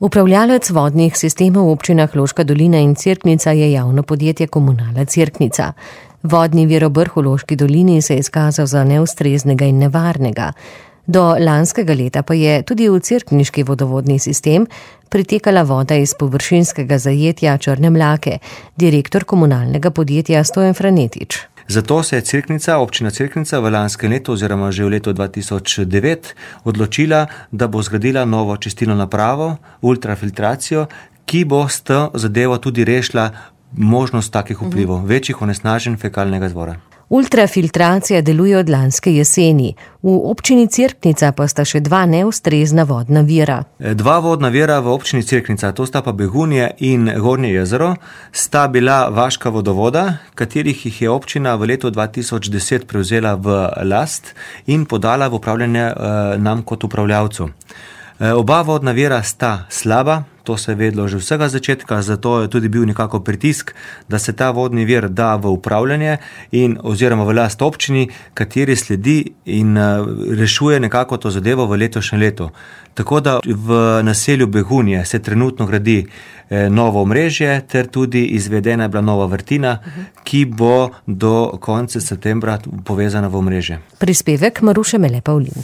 Upravljalec vodnih sistemov v občinah Loška dolina in Cerknica je javno podjetje Komunala Cerknica. Vodni vir Obrh v Loški dolini se je izkazal za neustreznega in nevarnega. Do lanskega leta pa je tudi v cerkniški vodovodni sistem pritekala voda iz površinskega zajetja Črne Mlake, direktor komunalnega podjetja Stojan Franetič. Zato se je občina Cerknica v lanskem letu oziroma že v letu 2009 odločila, da bo zgradila novo čistilno napravo, ultrafiltracijo, ki bo s to zadevo tudi rešila možnost takih vplivov, večjih onesnaženj fekalnega izvora. Ultrafiltracija deluje od lanske jeseni. V občini Cerknica pa sta še dva neustrezna vodna vira. Dva vodna vira v občini Cerknica, to sta pa Begunje in Gornje jezero, sta bila vaška vodovoda, katerih jih je občina v letu 2010 prevzela v last in podala v upravljanje nam kot upravljavcu. Oba vodna vira sta slaba, to se je vedlo že vsega začetka, zato je tudi bil nekako pritisk, da se ta vodni vir da v upravljanje oziroma v last občini, kateri sledi in rešuje nekako to zadevo v letošnjem letu. Tako da v naselju Begunje se trenutno gradi novo omrežje, ter tudi izvedena je bila nova vrtina, ki bo do konca septembra povezana v omrežje. Prispevek Maruše Mele Pavlin.